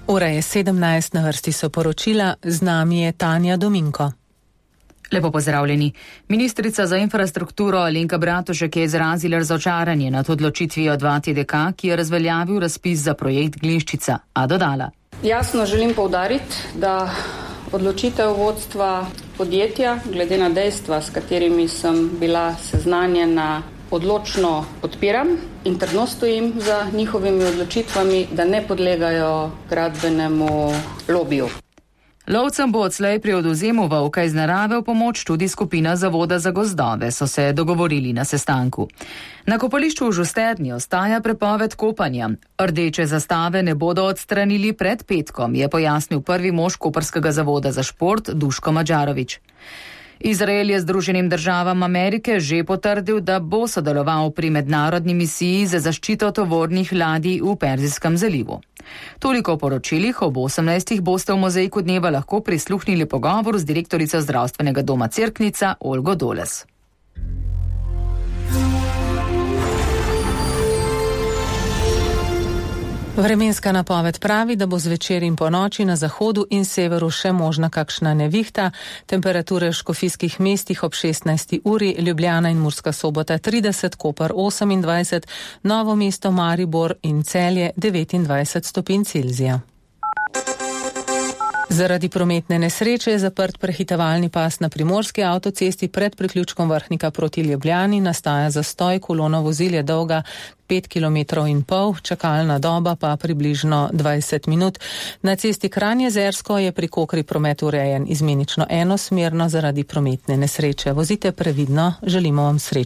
Ura je 17, na vrsti so poročila, z nami je Tanja Dominko. Lepo pozdravljeni. Ministrica za infrastrukturo Alenka Bratušek je izrazila razočaranje nad odločitvijo 2TDK, ki je razveljavil razpis za projekt Glinščica, a dodala. Jasno želim poudariti, da odločitev vodstva podjetja, glede na dejstva, s katerimi sem bila seznanjena, odločno podpiram in trdno stojim za njihovimi odločitvami, da ne podlegajo gradbenemu lobiju. Lovcem bo odslej pri odvzemu volka iz narave v pomoč tudi skupina Zavoda za gozdove, so se dogovorili na sestanku. Na kopališču v Žusterni ostaja prepoved kopanja. Rdeče zastave ne bodo odstranili pred petkom, je pojasnil prvi mož Koprskega zavoda za šport Duško Madžarovič. Izrael je Združenim državam Amerike že potrdil, da bo sodeloval pri mednarodni misiji za zaščito tovornih ladij v Perzijskem zalivu. Toliko o poročilih, ob 18. boste v Mozaiku dneva lahko prisluhnili pogovor z direktorico zdravstvenega doma Cerknica Olgo Doles. Vremenska napoved pravi, da bo zvečer in po noči na zahodu in severu še možna kakšna nevihta. Temperature v škofijskih mestih ob 16. uri, Ljubljana in Murska Sobota 30, Koper 28, Novo mesto, Maribor in Celje 29 stopinj Celzija. Zaradi prometne nesreče je zaprt prehitevalni pas na primorski avtocesti pred priključkom Vrhnika proti Ljubljani, nastaja zastoj, kolona vozil je dolga 5,5 km, čakalna doba pa približno 20 minut. Na cesti Kranj-Jezersko je pri Kokri promet urejen izmenično enosmerno zaradi prometne nesreče. Vozite previdno, želimo vam srečno